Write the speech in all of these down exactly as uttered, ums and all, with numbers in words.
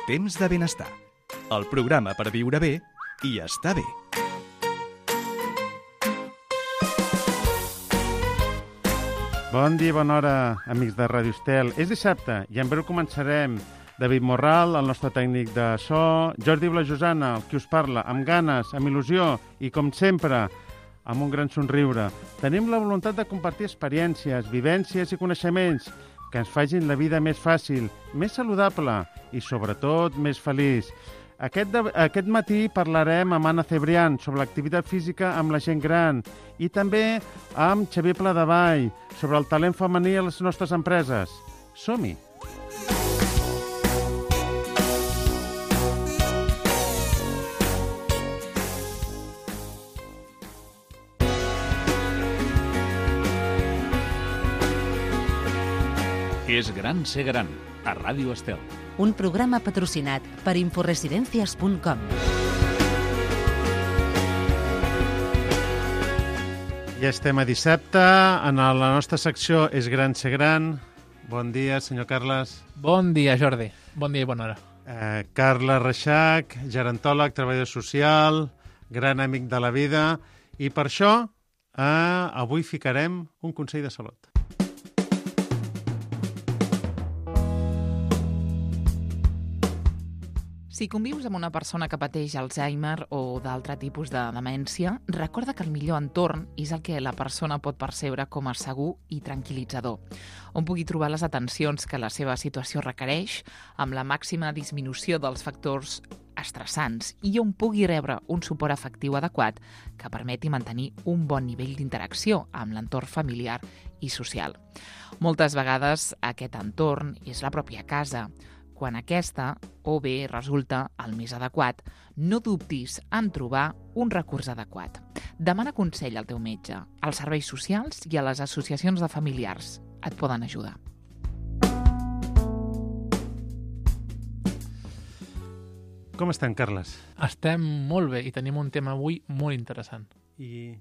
Temps de benestar, el programa per viure bé i estar bé. Bon dia i bona hora, amics de Ràdio Estel. És dissabte i en breu començarem. David Morral, el nostre tècnic de so, Jordi Blajosana, el qui us parla, amb ganes, amb il·lusió i, com sempre, amb un gran somriure. Tenim la voluntat de compartir experiències, vivències i coneixements que ens facin la vida més fàcil, més saludable i, sobretot, més feliç. Aquest, de, aquest matí parlarem amb Anna Cebrián sobre l'activitat física amb la gent gran i també amb Xavier Pladevall sobre el talent femení a les nostres empreses. Som-hi! És gran ser gran, a Ràdio Estel. Un programa patrocinat per inforesidencias punt com. Ja estem a dissabte, en la nostra secció És gran ser gran. Bon dia, senyor Carles. Bon dia, Jordi. Bon dia i bona hora. Eh, Carles Reixac, gerontòleg, treballador social, gran amic de la vida. I per això, eh, avui ficarem un consell de salut. Si convius amb una persona que pateix Alzheimer o d'altre tipus de demència, recorda que el millor entorn és el que la persona pot percebre com a segur i tranquil·litzador, on pugui trobar les atencions que la seva situació requereix, amb la màxima disminució dels factors estressants i on pugui rebre un suport afectiu adequat que permeti mantenir un bon nivell d'interacció amb l'entorn familiar i social. Moltes vegades aquest entorn és la pròpia casa. Quan aquesta, o bé resulta el més adequat, no dubtis en trobar un recurs adequat. Demana consell al teu metge, als serveis socials i a les associacions de familiars. Et poden ajudar. Com estem, Carles? Estem molt bé i tenim un tema avui molt interessant. I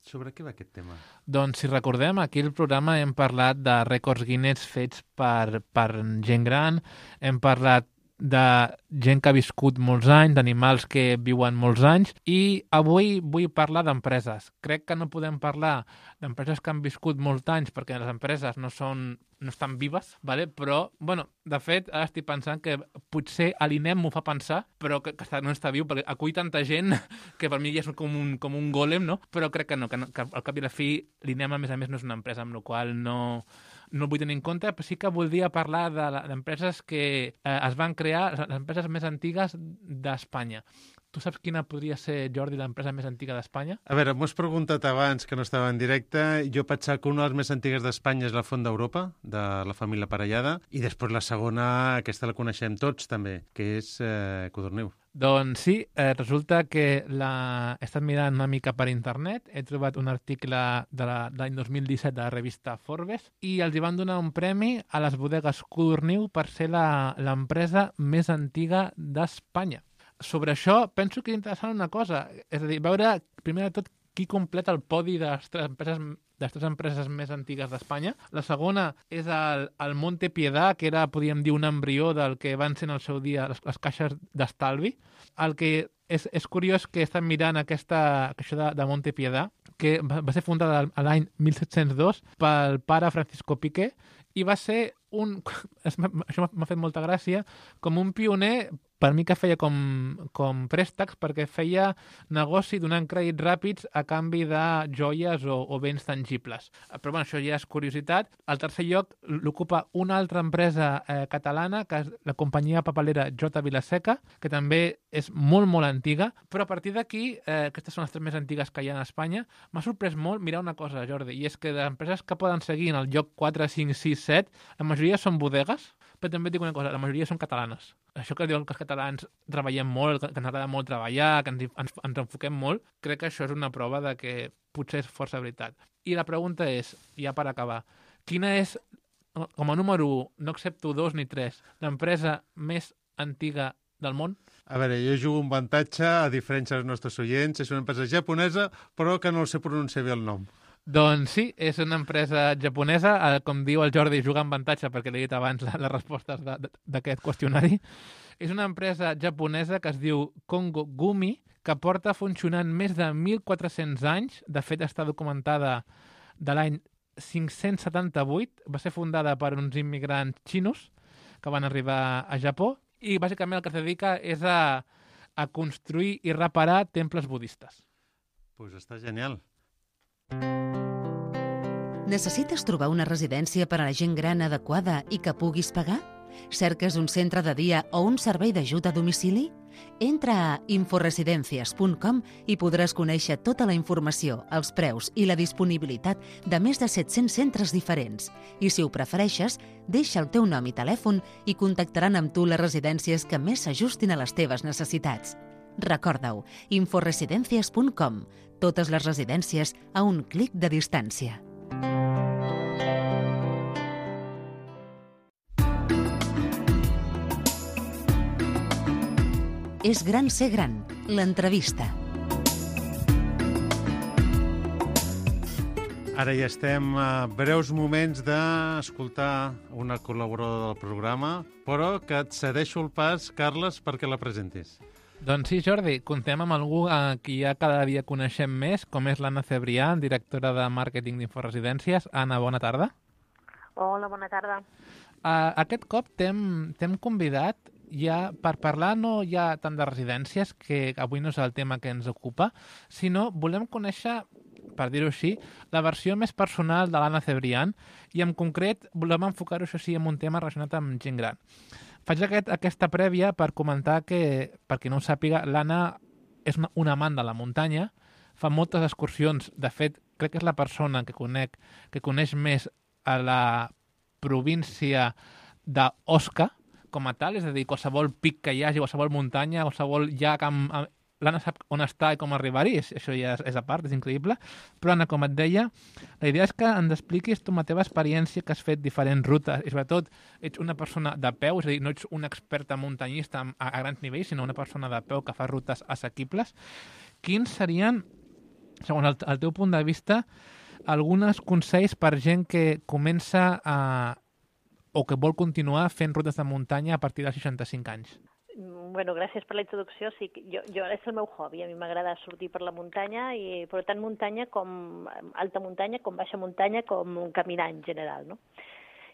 sobre què va aquest tema? Doncs, si recordem, aquí al programa hem parlat de rècords Guinness fets per, per gent gran, hem parlat de gent que ha viscut molts anys, d'animals que viuen molts anys, i avui vull parlar d'empreses. Crec que no podem parlar d'empreses que han viscut molts anys perquè les empreses no són no estan vives, vale? Però, bueno, de fet, ara estic pensant que potser l'INEM m'ho fa pensar, però que, que no està viu, perquè acull tanta gent que per mi ja és com un, com un gòlem, no? Però crec que no, que, no, que al cap i a la fi l'INEM, a més a més, no és una empresa, amb la qual no, no el vull tenir en compte, però sí que voldria parlar d'empreses que eh, es van crear, les empreses més antigues d'Espanya. Tu saps quina podria ser, Jordi, l'empresa més antiga d'Espanya? A veure, m'ho has preguntat abans, que no estava en directe. Jo pensava que una de les més antigues d'Espanya és la Font d'Europa, de la família Parellada, i després la segona, aquesta la coneixem tots també, que és eh, Codorniu. Doncs sí, eh, resulta que la... he estat mirant una mica per internet, he trobat un article de l'any dos mil disset de la revista Forbes i els hi van donar un premi a les bodegues Codorniu per ser l'empresa més antiga d'Espanya. Sobre això penso que és interessant una cosa, és a dir, veure primer de tot qui completa el podi de les tres empreses, de les tres empreses més antigues d'Espanya. La segona és el, el Monte Piedà, que era, podríem dir, un embrió del que van ser en el seu dia les, les caixes d'estalvi. El que és, és curiós que estan mirant aquesta caixa de, de Monte Piedà, que va, va ser fundada l'any mil set-cents dos pel pare Francisco Piqué, i va ser un... això m'ha fet molta gràcia, com un pioner, per mi que feia com, com préstecs, perquè feia negoci donant crèdits ràpids a canvi de joies o, o béns tangibles. Però bueno, això ja és curiositat. Al tercer lloc l'ocupa una altra empresa eh, catalana, que és la companyia papelera J. Vilaseca, que també és molt, molt antiga, però a partir d'aquí, eh, aquestes són les tres més antigues que hi ha a Espanya, m'ha sorprès molt mirar una cosa, Jordi, i és que de empreses que poden seguir en el lloc quatre, cinc, sis, set, la majoria són bodegues, però també et dic una cosa, la majoria són catalanes. Això que diuen que els catalans treballem molt, que ens agrada molt treballar, que ens, ens, ens enfoquem molt, crec que això és una prova de que potser és força veritat. I la pregunta és, ja per acabar, quina és, com a número u, no accepto dos ni tres, l'empresa més antiga del món? A veure, jo jugo un avantatge, a diferència dels nostres oients, és una empresa japonesa, però que no sé pronunciar bé el nom. Doncs sí, és una empresa japonesa, eh, com diu el Jordi, juga amb avantatge perquè l'he dit abans la, les respostes de- de- d'aquest qüestionari. És una empresa japonesa que es diu Kongo Gumi, que porta funcionant més de mil quatre-cents anys. De fet, està documentada de l'any cinc-cents setanta-vuit. Va ser fundada per uns immigrants xinos que van arribar a Japó i bàsicament el que es dedica és a, a construir i reparar temples budistes. Pues està genial. Necessites trobar una residència per a la gent gran adequada i que puguis pagar? Cerques un centre de dia o un servei d'ajuda a domicili? Entra a inforesidencias punt com i podràs conèixer tota la informació, els preus i la disponibilitat de més de set-cents centres diferents. I si ho prefereixes, deixa el teu nom i telèfon i contactaran amb tu les residències que més s'ajustin a les teves necessitats. Recorda-ho, inforesidencias punt com. Totes les residències a un clic de distància. És gran ser gran, l'entrevista. Ara ja estem a breus moments d'escoltar una col·laboradora del programa, però que et cedeixo el pas, Carles, perquè la presentis. Doncs sí, Jordi, contem amb algú a qui ja cada dia coneixem més, com és l'Anna Cebrià, directora de màrqueting d'Inforesidències. Anna, bona tarda. Hola, bona tarda. Uh, aquest cop t'hem t'hem convidat ja per parlar no ja tant de residències, que avui no és el tema que ens ocupa, sinó volem conèixer, per dir-ho així, la versió més personal de l'Anna Cebrián i en concret volem enfocar-ho, això sí, en un tema relacionat amb gent gran. Faig aquest, aquesta prèvia per comentar que, per qui no ho sàpiga, l'Anna és una, una amant de la muntanya, fa moltes excursions. De fet, crec que és la persona que conec que coneix més a la província d'Osca com a tal, és a dir, qualsevol pic que hi hagi, qualsevol muntanya, qualsevol llac amb... amb... L'Anna sap on està i com arribar-hi, això ja és, és a part, és increïble. Però, Anna, com et deia, la idea és que ens expliquis tu amb la teva experiència, que has fet diferents rutes, i sobretot ets una persona de peu, és a dir, no ets una experta muntanyista a, a grans nivells, sinó una persona de peu que fa rutes assequibles. Quins serien, segons el, el teu punt de vista, alguns consells per gent que comença a, o que vol continuar fent rutes de muntanya a partir dels seixanta-cinc anys? Bueno, gràcies per la introducció. Sí, jo, jo és el meu hobby. A mi m'agrada sortir per la muntanya, i, però tant muntanya com alta muntanya, com baixa muntanya, com caminar en general, no?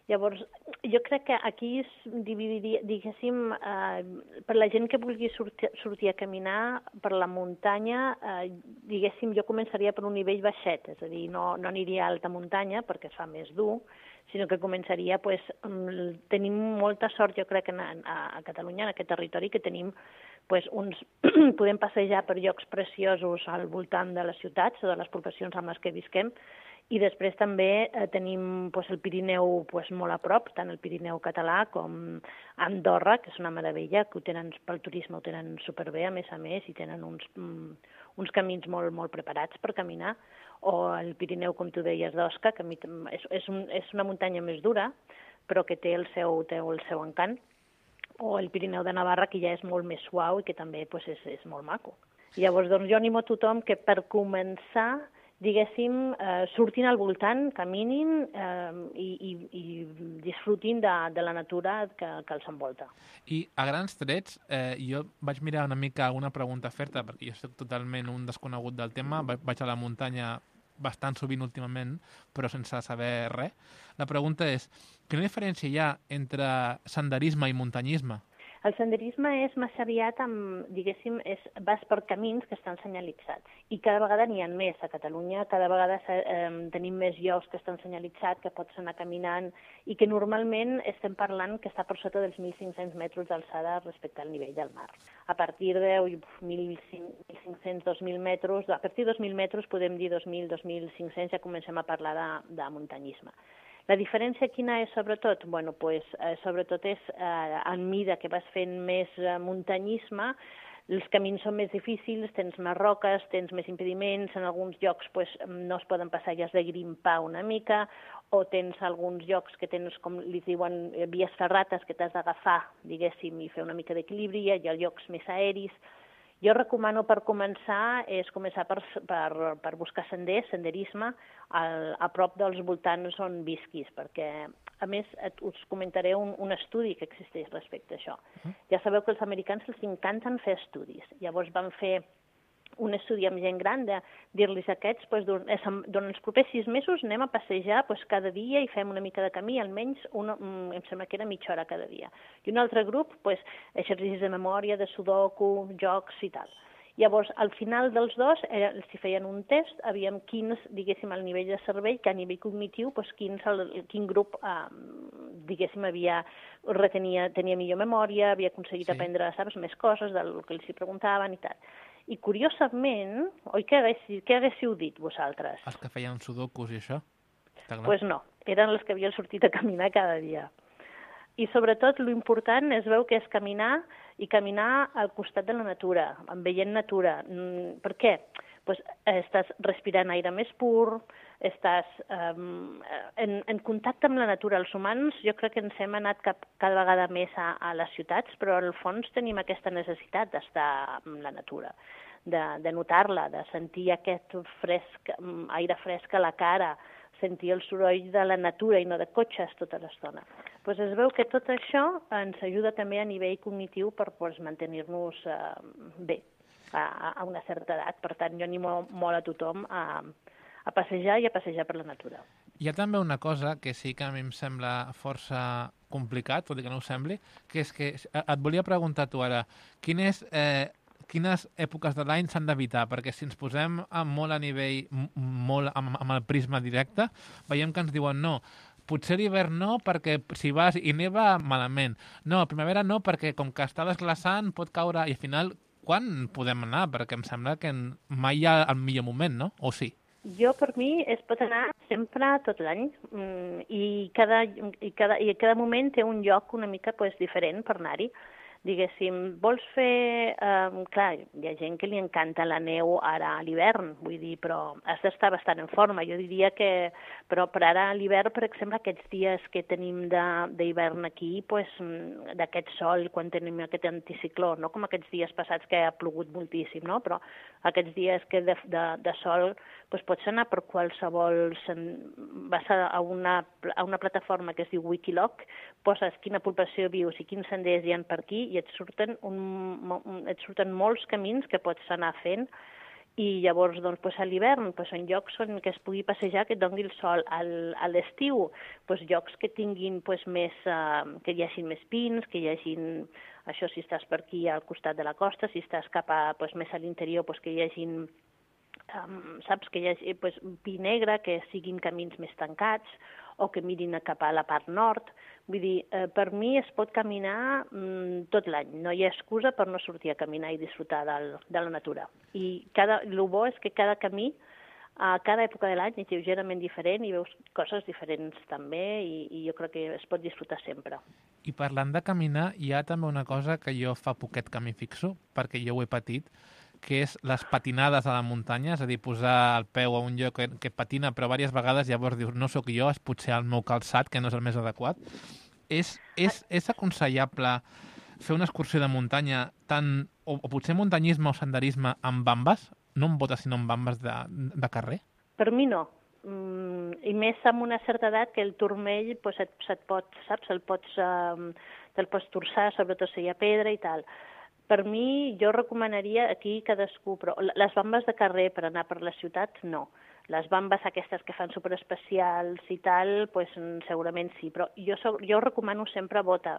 Llavors, jo crec que aquí es dividiria, diguéssim, eh, per la gent que vulgui sortir, sortir a caminar per la muntanya, eh, diguéssim, jo començaria per un nivell baixet, és a dir, no, no aniria a alta muntanya perquè es fa més dur, sinó que començaria, pues, tenim molta sort, jo crec, a, a Catalunya, en aquest territori, que tenim, pues, uns, podem passejar per llocs preciosos al voltant de les ciutats o de les poblacions amb les que visquem, i després també eh, tenim, pues, el Pirineu, pues, molt a prop, tant el Pirineu català com Andorra, que és una meravella, que ho tenen, pel turisme ho tenen superbé, a més a més, i tenen uns, mm, uns camins molt, molt preparats per caminar, o el Pirineu, com tu deies, d'Osca, que és, és, un, és una muntanya més dura, però que té el seu, té el seu encant, o el Pirineu de Navarra, que ja és molt més suau i que també, pues, és, és molt maco. Llavors, doncs, jo animo a tothom que per començar, diguéssim, eh, surtin al voltant, caminin eh, i, i, i disfrutin de, de la natura que, que els envolta. I a grans trets, eh, jo vaig mirar una mica una pregunta a fer-te, perquè jo soc totalment un desconegut del tema, vaig a la muntanya bastant sovint últimament, però sense saber res. La pregunta és, quina diferència hi ha entre senderisme i muntanyisme? El senderisme és massa aviat amb, diguéssim, és, vas per camins que estan senyalitzats. I cada vegada n'hi ha més a Catalunya, cada vegada eh, tenim més llocs que estan senyalitzats, que pots anar caminant, i que normalment estem parlant que està per sota dels mil cinc-cents metres d'alçada respecte al nivell del mar. A partir de mil cinc-cents a dos mil metres, a partir de dos mil metres podem dir dos mil a dos mil cinc-cents, ja comencem a parlar de, de muntanyisme. La diferència quina és, sobretot? Bueno, pues, eh, sobretot és, eh, en mida que vas fent més eh, muntanyisme, els camins són més difícils, tens més roques, tens més impediments, en alguns llocs pues, no es poden passar i has de grimpar una mica, o tens alguns llocs que tens, com li diuen, vies ferrates, que t'has d'agafar, diguéssim, i fer una mica d'equilibri, hi ha llocs més aeris. Jo recomano per començar és començar per, per, per buscar senders, senderisme, al, a prop dels voltants on visquis, perquè, a més, et, us comentaré un, un estudi que existeix respecte a això. Uh-huh. Ja sabeu que els americans els encanten fer estudis. Llavors van fer un estudi amb gent gran de dir-los a aquests, doncs, durant els propers sis mesos anem a passejar doncs, cada dia i fem una mica de camí, almenys una, em sembla que era mitja hora cada dia. I un altre grup, doncs, exercicis de memòria, de sudoku, jocs i tal. Llavors, al final dels dos, eh, si feien un test, aviam quins, diguéssim, al nivell de cervell, que a nivell cognitiu, doncs, quins, el, quin grup, eh, diguéssim, havia, retenia, tenia millor memòria, havia aconseguit sí. aprendre, saps, més coses del que els hi preguntaven i tal. I, curiosament, oi, què haguéssiu, què haguéssiu dit, vosaltres? Els que feien sudokus i això? Doncs pues no, eren els que havien sortit a caminar cada dia. I, sobretot, l'important es veu que és caminar i caminar al costat de la natura, veient natura. Per què? Pues, estàs respirant aire més pur, estàs um, en, en contacte amb la natura. Els humans jo crec que ens hem anat cap, cada vegada més a, a les ciutats, però al fons tenim aquesta necessitat d'estar amb la natura, de, de notar-la, de sentir aquest fresc, aire fresc a la cara, sentir el soroll de la natura i no de cotxes tota l'estona. Pues es veu que tot això ens ajuda també a nivell cognitiu per pues, mantenir-nos uh, bé a, a una certa edat. Per tant, jo animo molt a tothom a, a passejar i a passejar per la natura. Hi ha també una cosa que sí que a mi em sembla força complicat, tot i que no ho sembli, que és que et volia preguntar tu ara, quin és... Eh, quines èpoques de l'any s'han d'evitar, perquè si ens posem molt a nivell, molt amb, amb el prisma directe, veiem que ens diuen no, potser l'hivern no, perquè si vas i neva, malament. No, a primavera no, perquè com que està desglaçant pot caure, i al final, quan podem anar? Perquè em sembla que mai hi ha el millor moment, no? O sí? Jo, per mi, es pot anar sempre tot l'any, i cada, i, cada, i cada moment té un lloc una mica pues, diferent per anar-hi. Diguéssim, vols fer... Eh, clar, hi ha gent que li encanta la neu ara a l'hivern, vull dir, però has d'estar bastant en forma. Jo diria que... Però per ara a l'hivern, per exemple, aquests dies que tenim d'hivern aquí, pues, d'aquest sol, quan tenim aquest anticicló, no com aquests dies passats que ha plogut moltíssim, no? Però aquests dies que de, de, de sol pues, pots anar per qualsevol... Vas a una, a una plataforma que es diu Wikiloc, poses quina població vius i quins senders hi ha per aquí i et surten, un, et surten molts camins que pots anar fent i llavors doncs, pues, a l'hivern pues, en llocs on que es pugui passejar que et doni el sol. Al, a l'estiu pues, llocs que tinguin pues, més, uh, que hi hagin més pins, que hi hagin, això si estàs per aquí al costat de la costa, si estàs cap a, pues, més a l'interior pues, que hi hagin um, saps, que hi hagi pues, pi negre, que siguin camins més tancats o que mirin cap a la part nord. Vull dir, eh, per mi es pot caminar mm, tot l'any. No hi ha excusa per no sortir a caminar i disfrutar del, de la natura. I cada, el bo és que cada camí, a cada època de l'any és lleugerament diferent i veus coses diferents també i, i jo crec que es pot disfrutar sempre. I parlant de caminar, hi ha també una cosa que jo fa poquet que m'hi fixo, perquè jo ho he patit, que és les patinades a la muntanya, és a dir, posar el peu a un lloc que, que patina, però diverses vegades llavors dius, no sóc jo, és potser el meu calçat, que no és el més adequat. És, és, és aconsellable fer una excursió de muntanya tant, o, o potser muntanyisme o senderisme amb bambes, no amb botes, sinó amb bambes de, de carrer? Per mi no. Mm, I més amb una certa edat que el turmell pues, et, et pot, saps, el pots, um, te'l pots torçar, sobretot si hi ha pedra i tal. Per mi, jo recomanaria aquí cadascú, però les bambes de carrer per anar per la ciutat, no. Les bambes aquestes que fan superespecials i tal, pues, segurament sí, però jo, so, jo recomano sempre bota.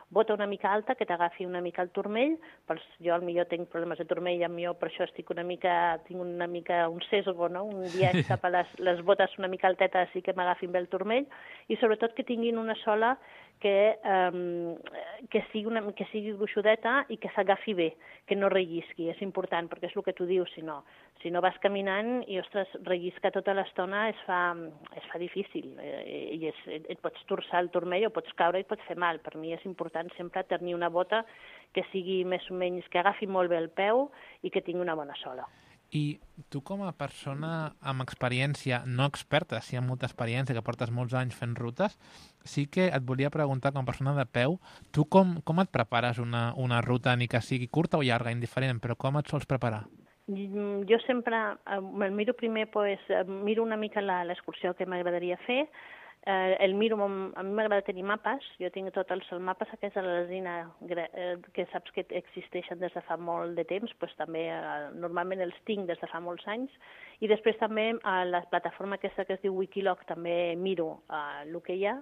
Bota una mica alta, que t'agafi una mica el turmell, pels, jo al millor tinc problemes de turmell, amb jo per això estic una mica, tinc una mica un sesgo, no? Un dia cap a les, les botes una mica altetes sí que m'agafin bé el turmell, i sobretot que tinguin una sola que, um, que, sigui una, que sigui gruixudeta i que s'agafi bé, que no rellisqui, és important, perquè és el que tu dius, si no, si no vas caminant i, ostres, rellisca tota l'estona es fa, es fa difícil, i és, et pots torçar el turmell o pots caure i et pots fer mal. Per mi és important sempre tenir una bota que sigui més o menys, que agafi molt bé el peu i que tingui una bona sola. I tu com a persona amb experiència, no experta, sí amb molta experiència, que portes molts anys fent rutes, sí que et volia preguntar com a persona de peu, tu com, com et prepares una, una ruta, ni que sigui curta o llarga, indiferent, però com et sols preparar? Jo sempre eh, me'l miro primer, pues, miro una mica l'excursió que m'agradaria fer. Eh, el miro, a mi m'agrada tenir mapes, jo tinc tots els mapes aquests de la resina eh, que saps que existeixen des de fa molt de temps, pues, també eh, normalment els tinc des de fa molts anys, i després també a la plataforma aquesta que es diu Wikiloc també miro eh, el que hi ha.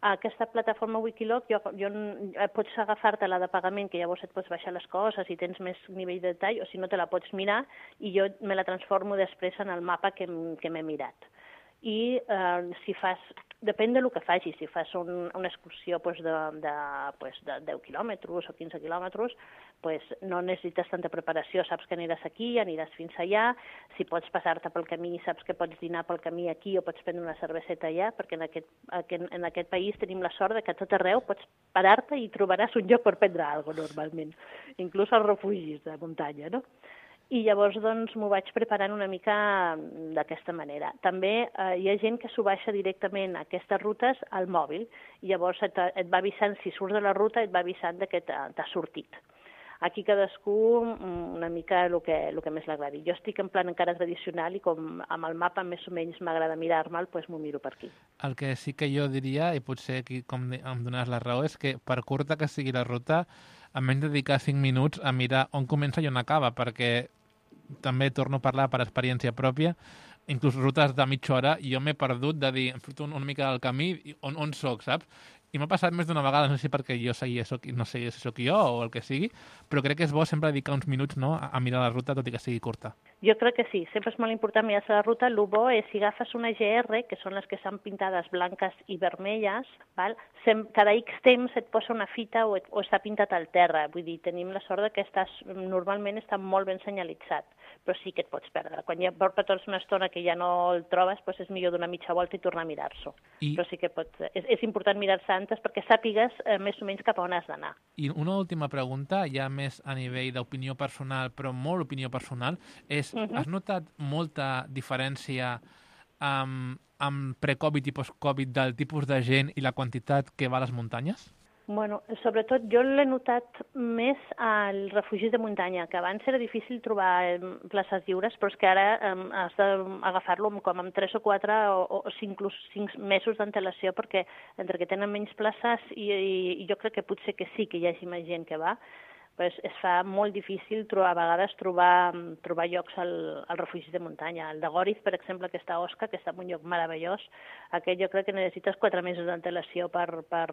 Aquesta plataforma Wikiloc, jo, jo, pots agafar-te-la de pagament, que llavors et pots baixar les coses i tens més nivell de detall, o si no te la pots mirar i jo me la transformo després en el mapa que, que m'he mirat. I eh, si fas, depèn del que facis, si fas un, una excursió pues, de, de, pues, de deu quilòmetres o quinze quilòmetres, pues, no necessites tanta preparació, saps que aniràs aquí, aniràs fins allà, si pots passar-te pel camí, saps que pots dinar pel camí aquí o pots prendre una cerveseta allà, perquè en aquest, en aquest país tenim la sort de que a tot arreu pots parar-te i trobaràs un lloc per prendre alguna cosa normalment, inclús als refugis de muntanya, no? I llavors doncs, m'ho vaig preparant una mica d'aquesta manera. També eh, hi ha gent que s'ho baixa directament a aquestes rutes al mòbil i llavors et, et va avisant, si surts de la ruta, et va avisant que t'ha sortit. Aquí cadascú una mica el que, el que més l'agradi. Jo estic en plan encara tradicional i com amb el mapa més o menys m'agrada mirar-me'l, doncs m'ho miro per aquí. El que sí que jo diria, i potser aquí com em dones la raó, és que per curta que sigui la ruta, almenys dedicar cinc minuts a mirar on comença i on acaba, perquè també torno a parlar per experiència pròpia, inclús rutes de mitja hora, i jo m'he perdut de dir, em surto una mica del camí, on, on soc, saps? I m'ha passat més d'una vegada, no sé si perquè jo seguia, soc, no sé si soc jo o el que sigui, però crec que és bo sempre dedicar uns minuts, no, a mirar la ruta, tot i que sigui curta. Jo crec que sí, sempre és molt important mirar-se la ruta. El bo és si agafes una G R, que són les que estan pintades blanques i vermelles, val? Sem cada X temps et posa una fita o, et, o està pintat al terra. Vull dir, tenim la sort que estàs, normalment està molt ben senyalitzat, però sí que et pots perdre. Quan ja porta tota una estona que ja no el trobes, doncs és millor donar mitja volta i tornar a mirar-s'ho. I... Però sí que pots, és, és important mirar-se antes perquè sàpigues eh, més o menys cap a on has d'anar. I una última pregunta, ja més a nivell d'opinió personal, però molt opinió personal, és, uh -huh. has notat molta diferència amb, amb pre-Covid i post-Covid del tipus de gent i la quantitat que va a les muntanyes? Bueno, sobretot jo l'he notat més als refugis de muntanya, que abans era difícil trobar places lliures, però és que ara eh, has d'agafar-lo com amb tres o quatre o, o inclús cinc mesos d'antelació, perquè entre que tenen menys places i, i, i jo crec que potser que sí que hi hagi més gent que va, pues es fa molt difícil trobar, a vegades trobar, trobar llocs al, al refugi de muntanya. El de Goriz, per exemple, que està a Osca, que està en un lloc meravellós, aquest jo crec que necessites quatre mesos d'antelació per, per,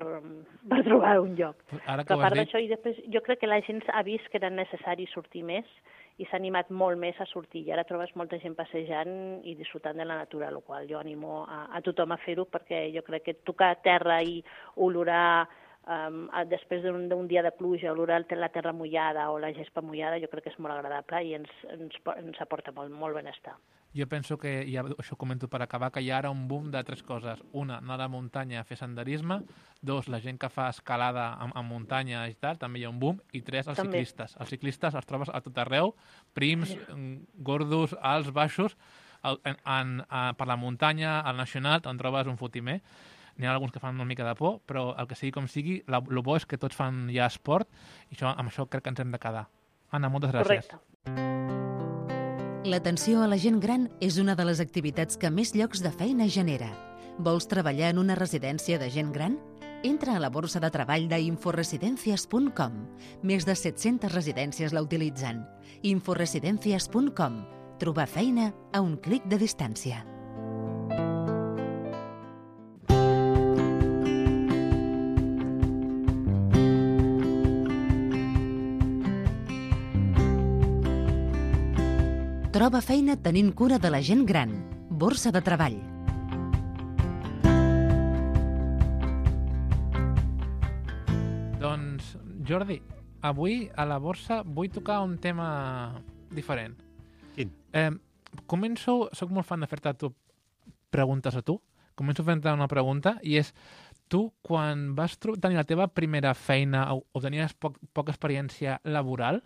per trobar un lloc. Ara que a part d'això, i després, jo crec que la gent ha vist que era necessari sortir més i s'ha animat molt més a sortir. I ara trobes molta gent passejant i disfrutant de la natura, el qual jo animo a, a tothom a fer-ho, perquè jo crec que tocar terra i olorar Um, després d'un dia de pluja, olorar la terra mullada o la gespa mullada, jo crec que és molt agradable i ens, ens, ens aporta molt, molt benestar. Jo penso que, ja això ho comento per acabar, que hi ha ara un boom de tres coses. Una, anar a la muntanya a fer senderisme. Dos, la gent que fa escalada en, en muntanya i tal, també hi ha un boom. I tres, els també. ciclistes. Els ciclistes els trobes a tot arreu, prims, gordos, alts, baixos, en, en, en, per la muntanya, al Nacional, te'n trobes un fotimer. N'hi ha alguns que fan una mica de por, però el que sigui com sigui, el bo és que tots fan ja esport i això, amb això crec que ens hem de quedar. Anna, moltes gràcies. Correcte. L'atenció a la gent gran és una de les activitats que més llocs de feina genera. Vols treballar en una residència de gent gran? Entra a la borsa de treball d'inforesidencias punt com. Més de set-centes residències la utilitzen. inforesidencias punt com. Trobar feina a un clic de distància. Troba feina tenint cura de la gent gran. Borsa de treball. Doncs, Jordi, avui a la borsa vull tocar un tema diferent. Quin? Eh, començo, soc molt fan de fer-te tu preguntes a tu. Començo fent-te una pregunta i és, tu quan vas tenir la teva primera feina o, o tenies poc, poca experiència laboral,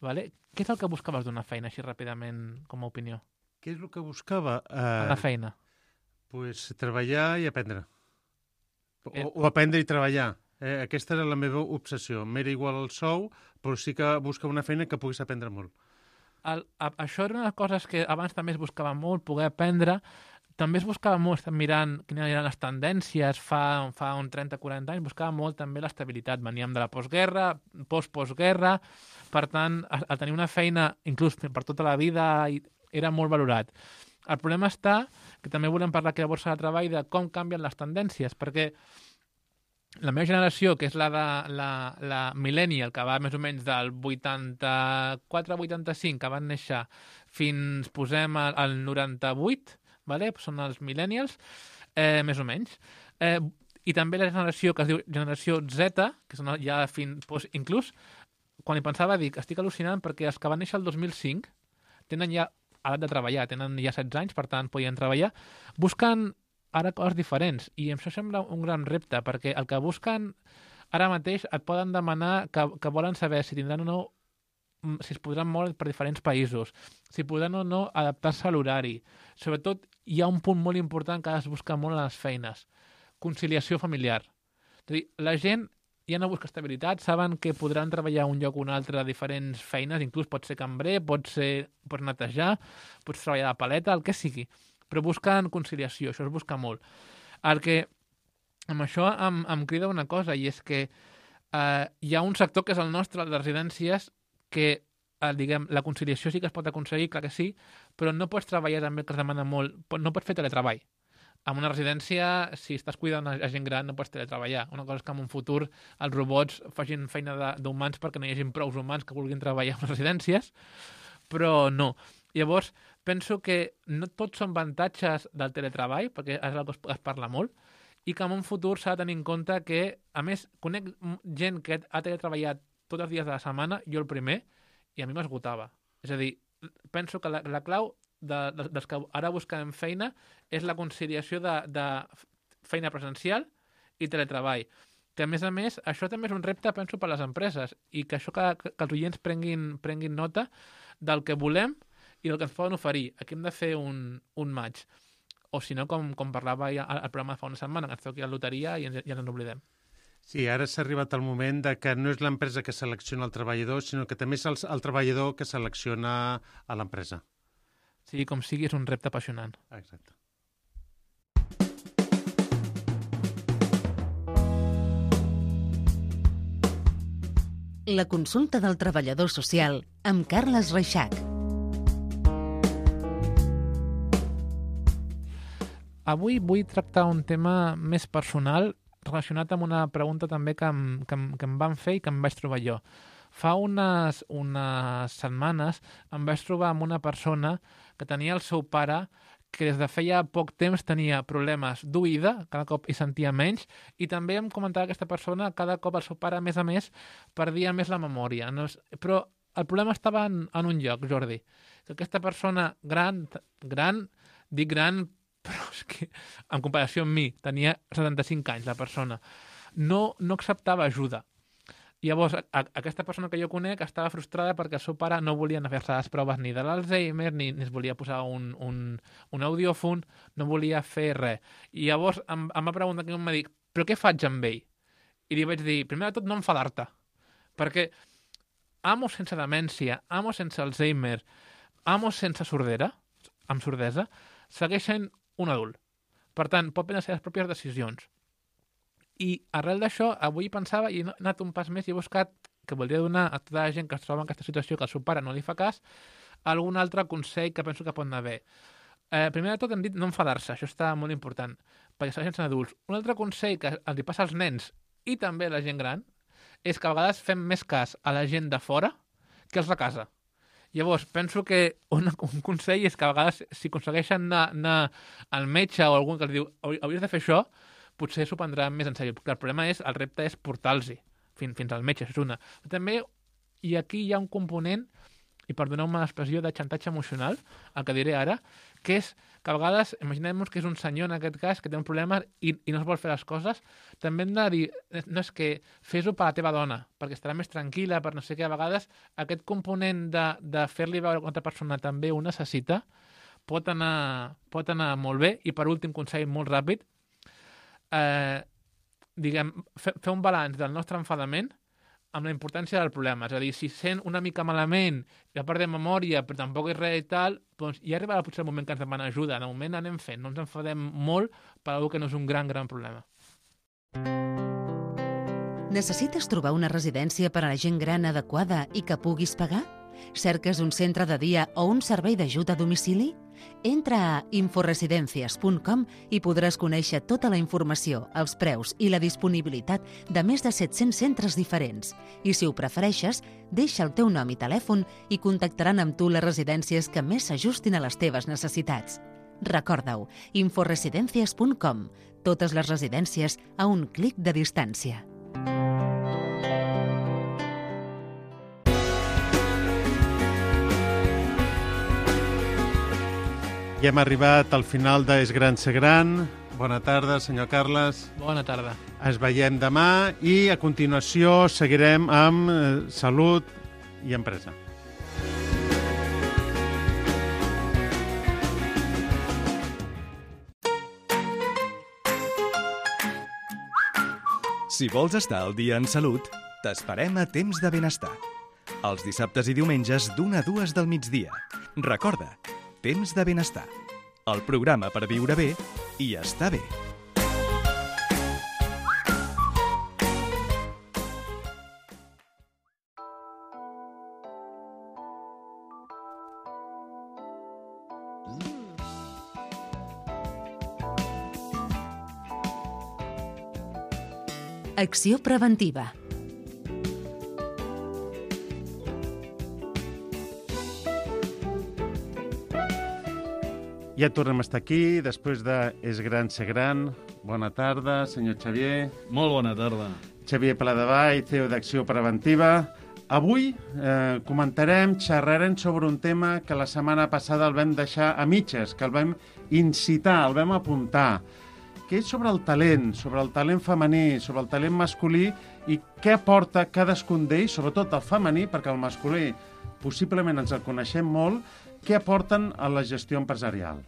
vale? Què és el que buscaves d'una feina, així ràpidament, com a opinió? Què és el que buscava? A la Uh, feina. pues, treballar i aprendre. O, Eh. o aprendre i treballar. Eh, aquesta era la meva obsessió. M'era igual el sou, però sí que buscava una feina que pogués aprendre molt. El, a, això era una de les coses que abans també es buscava molt, poder aprendre. També es buscava molt, estem mirant quines eren les tendències fa, fa un trenta quaranta anys, buscava molt també l'estabilitat. Veníem de la postguerra, post-postguerra, per tant, a, a tenir una feina, inclús per tota la vida, i era molt valorat. El problema està, que també volem parlar aquí a Borsa de Treball, de com canvien les tendències, perquè la meva generació, que és la de la, la millennial, que va més o menys del vuitanta-quatre vuitanta-cinc, que van néixer fins, posem, al, al noranta-vuit, vale? Són els millennials, eh, més o menys. Eh, I també la generació que es diu generació Z, que són ja fins, doncs, inclús, quan hi pensava, dic, estic al·lucinant perquè els que van néixer el dos mil cinc tenen ja edat de treballar, tenen ja setze anys, per tant, podien treballar, busquen ara coses diferents, i això sembla un gran repte, perquè el que busquen ara mateix et poden demanar que, que volen saber si tindran o no, si es podran moure per diferents països, si podran o no adaptar-se a l'horari. Sobretot, hi ha un punt molt important que es busca molt a les feines, conciliació familiar. És a dir, la gent ja no busca estabilitat, saben que podran treballar un lloc o un altre a diferents feines, inclús pot ser cambrer, pot ser pots netejar, pots treballar de paleta, el que sigui, però busquen conciliació, això es busca molt. El que amb això em, em crida una cosa, i és que eh, hi ha un sector que és el nostre, el de residències, que eh, diguem, la conciliació sí que es pot aconseguir, clar que sí, però no pots treballar també, que es demana molt, no pots fer teletreball. En una residència, si estàs cuidant a gent gran, no pots teletreballar. Una cosa és que en un futur els robots facin feina d'humans perquè no hi hagi prou humans que vulguin treballar en les residències, però no. Llavors, penso que no tots són avantatges del teletreball, perquè és el que es parla molt, i que en un futur s'ha de tenir en compte que, a més, conec gent que ha teletreballat tots els dies de la setmana, jo el primer, i a mi m'esgotava. És a dir, penso que la, la clau de, de, dels que ara busquem feina és la conciliació de, de feina presencial i teletreball. Que, a més a més, això també és un repte, penso, per a les empreses, i que això que, que els oients prenguin, prenguin nota del que volem i del que ens poden oferir. Aquí hem de fer un, un match. O si no, com, com parlava ja al programa fa una setmana, que ens toqui la loteria i ens, ja ens n'oblidem. Sí, ara s'ha arribat el moment de que no és l'empresa que selecciona el treballador, sinó que també és el, el treballador que selecciona a l'empresa. Sí, com sigui, és un repte apassionant. Exacte. La consulta del treballador social amb Carles Reixac. Avui vull tractar un tema més personal relacionat amb una pregunta també que em, que em, que em van fer i que em vaig trobar jo. Fa unes, unes setmanes em vaig trobar amb una persona que tenia el seu pare que des de feia poc temps tenia problemes d'oïda, cada cop hi sentia menys, i també em comentava aquesta persona cada cop el seu pare, a més a més, perdia més la memòria. No és... Però el problema estava en, en un lloc, Jordi, que aquesta persona gran, gran, dic gran, però és que, en comparació amb mi, tenia setanta-cinc anys, la persona, no, no acceptava ajuda. Llavors, a, a aquesta persona que jo conec estava frustrada perquè el seu pare no volia anar a fer-se les proves ni de l'Alzheimer, ni, ni es volia posar un, un, un audiòfon, no volia fer res. I llavors em, em va preguntar, que em va dir, però què faig amb ell? I li vaig dir, primer de tot, no enfadar-te, perquè amo sense demència, amo sense Alzheimer, amo sense sordera, amb sordesa, segueix sent un adult. Per tant, pot prendre les seves pròpies decisions. I arrel d'això, avui pensava, i he anat un pas més i he buscat, que voldria donar a tota la gent que es troba en aquesta situació, que el seu pare no li fa cas, algun altre consell que penso que pot anar bé. Eh, primer de tot hem dit no enfadar-se, això està molt important, perquè segueixen sent adults. Un altre consell que els hi passa als nens i també a la gent gran és que a vegades fem més cas a la gent de fora que els de casa. Llavors, penso que un, un consell és que a vegades, si aconsegueixen anar, anar al metge o algú que els diu hauries de fer això, potser s'ho prendran més en sèrio. El problema és, el repte és portar-los fins, fins al metge, això és una. Però també, i aquí hi ha un component, i perdoneu-me l'expressió, de xantatge emocional, el que diré ara, que és que a vegades, imaginem-nos que és un senyor en aquest cas que té un problema i, i no es vol fer les coses, també hem de dir, no és que fes-ho per la teva dona, perquè estarà més tranquil·la, per no sé què, a vegades aquest component de, de fer-li veure que una altra persona també ho necessita pot anar, pot anar molt bé. I per últim, consell molt ràpid, eh, diguem, fer, fer un balanç del nostre enfadament amb la importància del problema. És a dir, si sent una mica malament, ja perdem memòria, però tampoc és res i tal, doncs ja arribarà potser el moment que ens demanen ajuda. De moment anem fent, no ens enfadem molt per alguna que no és un gran, gran problema. Necessites trobar una residència per a la gent gran adequada i que puguis pagar? Cerques un centre de dia o un servei d'ajut a domicili? Entra a inforesidencias punt com i podràs conèixer tota la informació, els preus i la disponibilitat de més de set-cents centres diferents. I si ho prefereixes, deixa el teu nom i telèfon i contactaran amb tu les residències que més s'ajustin a les teves necessitats. Recorda-ho, inforesidencias punt com. Totes les residències a un clic de distància. I hem arribat al final de És gran ser gran. Bona tarda, senyor Carles. Bona tarda. Ens veiem demà i a continuació seguirem amb eh, salut i empresa. Si vols estar al dia en salut, t'esperem a Temps de Benestar. Els dissabtes i diumenges d'una a dues del migdia. Recorda, Temps de Benestar. El programa per viure bé i estar bé. Acció preventiva. Ja tornem a estar aquí, després de És gran ser gran. Bona tarda, senyor Xavier. Molt bona tarda. Xavier Pladevall, C E O d'Acció Preventiva. Avui eh, comentarem, xerrarem sobre un tema que la setmana passada el vam deixar a mitges, que el vam incitar, el vam apuntar, que és sobre el talent, sobre el talent femení, sobre el talent masculí i què aporta cadascun d'ells, sobretot el femení, perquè el masculí possiblement ens el coneixem molt, què aporten a la gestió empresarial.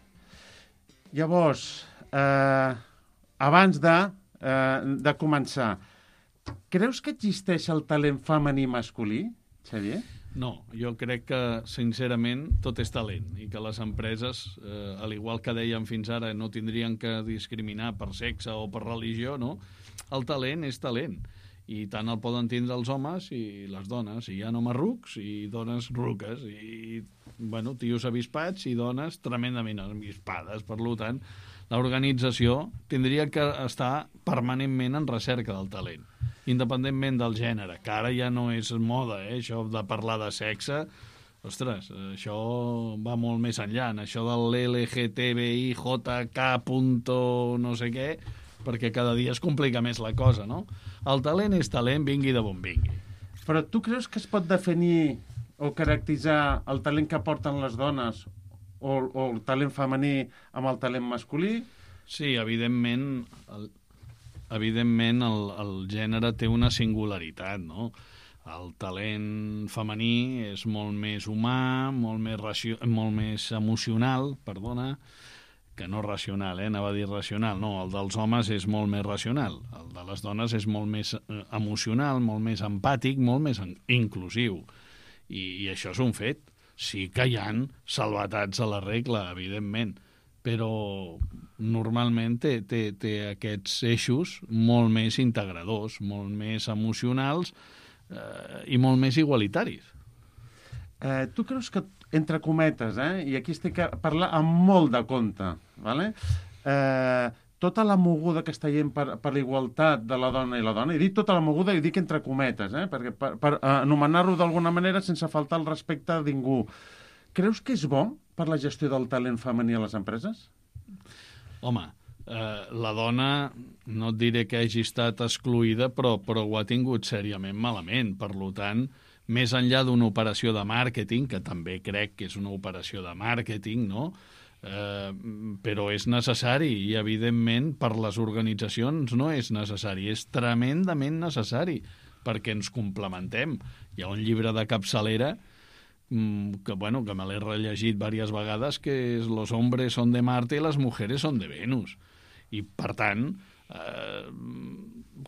Llavors, eh, abans de, eh, de començar, creus que existeix el talent femení i masculí, Xavier? No, jo crec que, sincerament, tot és talent i que les empreses, eh, al igual que dèiem fins ara, no tindrien que discriminar per sexe o per religió, no? El talent és talent i tant el poden tindre els homes i les dones. Hi ha homes rucs i dones ruques i, bueno, tios avispats i dones tremendament avispades. Per tant, l'organització tindria que estar permanentment en recerca del talent, independentment del gènere, que ara ja no és moda, eh? Això de parlar de sexe, ostres, això va molt més enllà, això del L G T B I J K punto no sé què, perquè cada dia es complica més la cosa, no? El talent és talent, vingui de bon vingui. Però tu creus que es pot definir o caracteritzar el talent que aporten les dones o, o el talent femení amb el talent masculí? Sí, evidentment, el, evidentment el, el gènere té una singularitat, no? El talent femení és molt més humà, molt més, racio, molt més emocional, perdona, que no racional, eh? Anava a dir racional. No, el dels homes és molt més racional. El de les dones és molt més emocional, molt més empàtic, molt més inclusiu. I, i això és un fet. Sí que hi ha salvatats a la regla, evidentment, però normalment té, té, té aquests eixos molt més integradors, molt més emocionals eh, i molt més igualitaris. Eh, tu creus que, entre cometes, eh, i aquí estic a parlar amb molt de compte, ¿vale? eh, tota la moguda que està gent per, per la igualtat de la dona i la dona, he dit tota la moguda i dic entre cometes, eh, perquè per, per anomenar-ho d'alguna manera sense faltar el respecte a ningú. Creus que és bo per la gestió del talent femení a les empreses? Home, eh, la dona, no et diré que hagi estat excloïda, però, però ho ha tingut sèriament malament. Per tant, més enllà d'una operació de màrqueting, que també crec que és una operació de màrqueting, no? Eh, però és necessari i, evidentment, per les organitzacions no és necessari, és tremendament necessari perquè ens complementem. Hi ha un llibre de capçalera que, bueno, que me l'he rellegit diverses vegades, que és Los hombres son de Marte y las mujeres son de Venus. I, per tant, eh,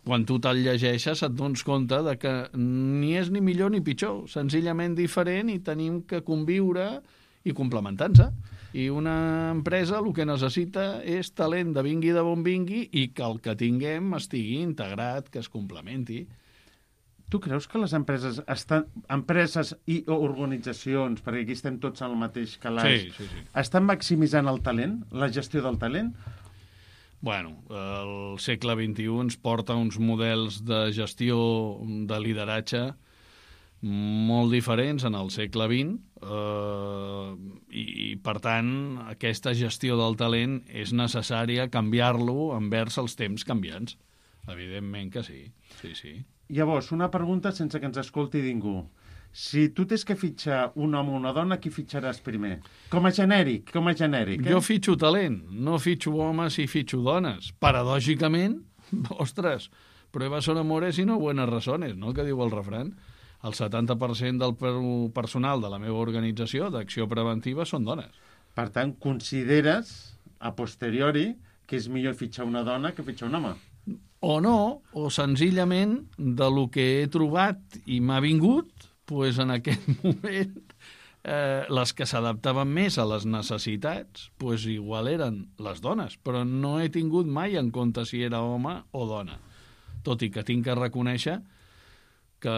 quan tu te'l llegeixes et dones compte de que ni és ni millor ni pitjor, senzillament diferent, i tenim que conviure i complementar-se. I una empresa el que necessita és talent de vingui de bon vingui i que el que tinguem estigui integrat, que es complementi. Tu creus que les empreses estan, empreses i organitzacions, perquè aquí estem tots al mateix calaix, sí, sí, sí. estan maximitzant el talent, la gestió del talent? Bueno, el segle vint-i-u ens porta uns models de gestió, de lideratge, molt diferents en el segle vint, eh, i, i, per tant, aquesta gestió del talent és necessària canviar-lo envers els temps canviants. Evidentment que sí, sí, sí. Llavors, una pregunta sense que ens escolti ningú. Si tu tens que fitxar un home o una dona, qui fitxaràs primer? Com a genèric, com a genèric. Eh? Jo fitxo talent, no fitxo homes i fitxo dones. Paradògicament, ostres, pruebas son amores y no buenas razones, no?, que diu el refrany. El setanta per cent del personal de la meva organització d'acció preventiva són dones. Per tant, consideres, a posteriori, que és millor fitxar una dona que fitxar un home? O no, o senzillament de lo que he trobat i m'ha vingut, pues en aquest moment eh, les que s'adaptaven més a les necessitats, pues igual eren les dones, però no he tingut mai en compte si era home o dona. Tot i que tinc que reconèixer que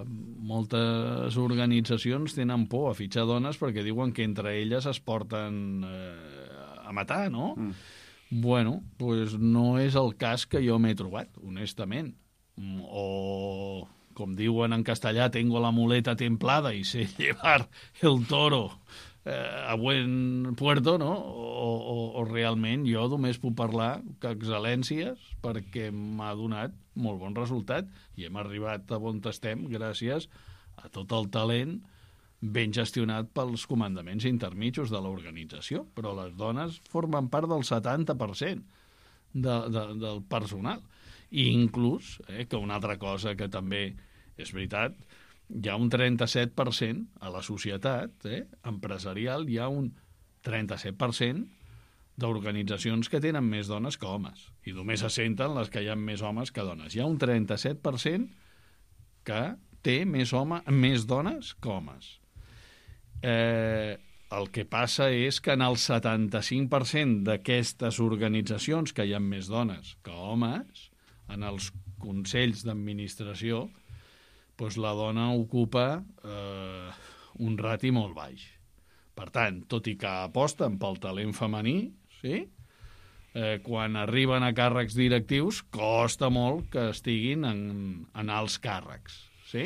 moltes organitzacions tenen por a fitxar dones perquè diuen que entre elles es porten eh, a matar, no? Mm. Bueno, pues no és el cas que jo m'he trobat, honestament. O, com diuen en castellà, tengo la muleta templada i sé llevar el toro eh, a buen puerto, no? O, o, o realment jo només puc parlar que excel·lències perquè m'ha donat molt bon resultat i hem arribat a on estem gràcies a tot el talent ben gestionat pels comandaments intermitjos de l'organització, però les dones formen part del setanta per cent de, de, del personal. I inclús, eh, que una altra cosa que també és veritat, hi ha un trenta-set per cent a la societat eh, empresarial, hi ha un trenta-set per cent d'organitzacions que tenen més dones que homes, i només se senten les que hi ha més homes que dones. Hi ha un trenta-set per cent que té més, home, més dones que homes. Eh, el que passa és que en el setanta-cinc per cent d'aquestes organitzacions que hi ha més dones que homes, en els consells d'administració, doncs la dona ocupa eh, un rati molt baix. Per tant, tot i que aposten pel talent femení, sí? eh, quan arriben a càrrecs directius costa molt que estiguin en, en alts càrrecs. Sí?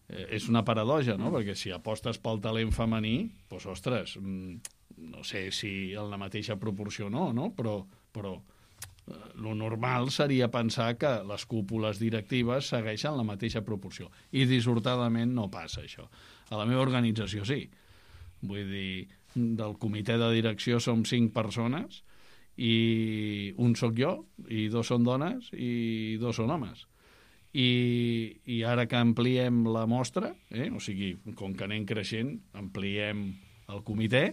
Eh, és una paradoja, no? Perquè si apostes pel talent femení, doncs, ostres, no sé si en la mateixa proporció no, no? Però, però eh, lo normal seria pensar que les cúpules directives segueixen la mateixa proporció. I dissortadament no passa això. A la meva organització sí. Vull dir, del comitè de direcció som cinc persones i un sóc jo, i dos són dones i dos són homes. I, i ara que ampliem la mostra, eh, o sigui, com que anem creixent, ampliem el comitè,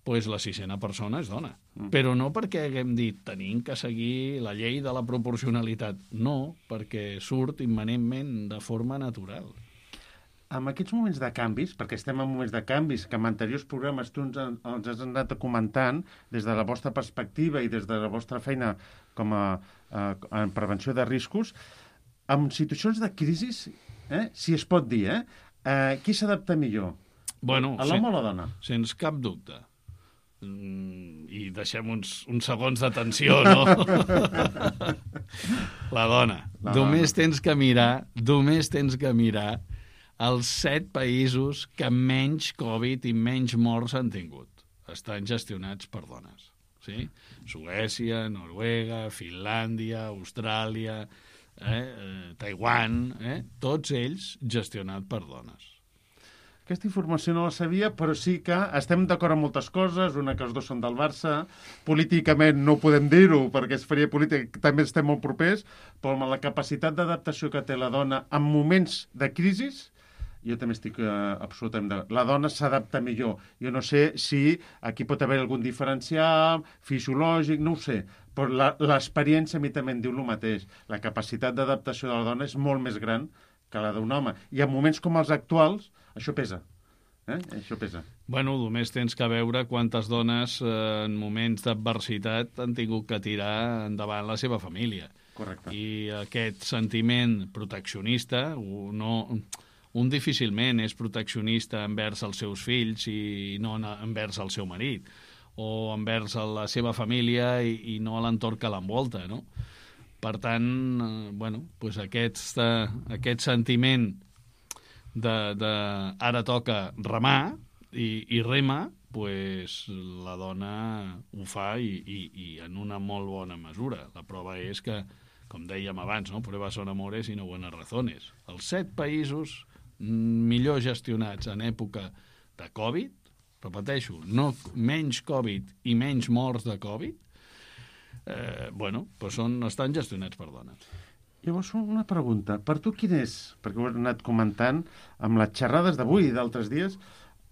doncs la sisena persona és dona. Mm. Però no perquè haguem dit tenim que seguir la llei de la proporcionalitat. No, perquè surt immanentment de forma natural. En aquests moments de canvis, perquè estem en moments de canvis, que en anteriors programes tu ens, ens has anat comentant des de la vostra perspectiva i des de la vostra feina com a, a, a prevenció de riscos, en situacions de crisi, eh, si es pot dir, eh, eh, qui s'adapta millor? Bueno, a l'home o la dona? Sens cap dubte. Mm, I deixem uns, uns segons d'atenció, no? La dona. La només dona. tens que mirar, només tens que mirar els set països que menys Covid i menys morts han tingut. Estan gestionats per dones. Sí? Suècia, Noruega, Finlàndia, Austràlia, eh, eh, Taiwan, eh? Tots ells gestionats per dones. Aquesta informació no la sabia, però sí que estem d'acord amb moltes coses, una que els dos són del Barça, políticament no podem dir-ho perquè es faria política, també estem molt propers, però amb la capacitat d'adaptació que té la dona en moments de crisi, jo també estic eh, absolutament d'acord. La dona s'adapta millor. Jo no sé si aquí pot haver algun diferencial fisiològic, no ho sé, però l'experiència a mi també em diu el mateix. La capacitat d'adaptació de la dona és molt més gran que la d'un home. I en moments com els actuals, això pesa. Eh? Això pesa. Bueno, només tens que veure quantes dones eh, en moments d'adversitat han tingut que tirar endavant la seva família. Correcte. I aquest sentiment proteccionista, no, un difícilment és proteccionista envers els seus fills i no envers el seu marit, o envers la seva família i, i no l'entorn que l'envolta, no? Per tant, eh, bueno, pues aquest, eh, aquest sentiment de, de ara toca remar i, i rema, pues la dona ho fa i, i, i en una molt bona mesura. La prova és que, com dèiem abans, no? Pruebas son amores y no buenas razones. Els set països millor gestionats en època de Covid, repeteixo, no, menys Covid i menys morts de Covid, eh, bueno, pues són, estan gestionats per dones. Llavors, una pregunta. Per tu quin és? Perquè ho he anat comentant amb les xerrades d'avui i d'altres dies,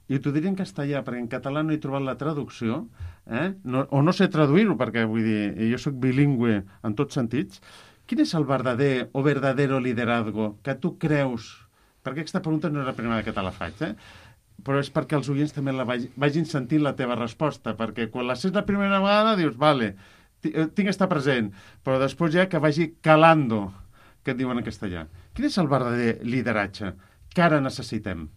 i t'ho diré en castellà, perquè en català no he trobat la traducció, eh? no, o no sé traduir-ho, perquè vull dir, jo sóc bilingüe en tots sentits. Quin és el verdader o verdadero liderazgo que tu creus? Perquè aquesta pregunta no és la primera que te la faig, eh? Però és perquè els oients també la vagin, vagin sentint la teva resposta, perquè quan la sents la primera vegada dius, vale, tinc que estar present, però després ja que vagi calando, que et diuen en castellà. Quin és el verdader lideratge que ara necessitem?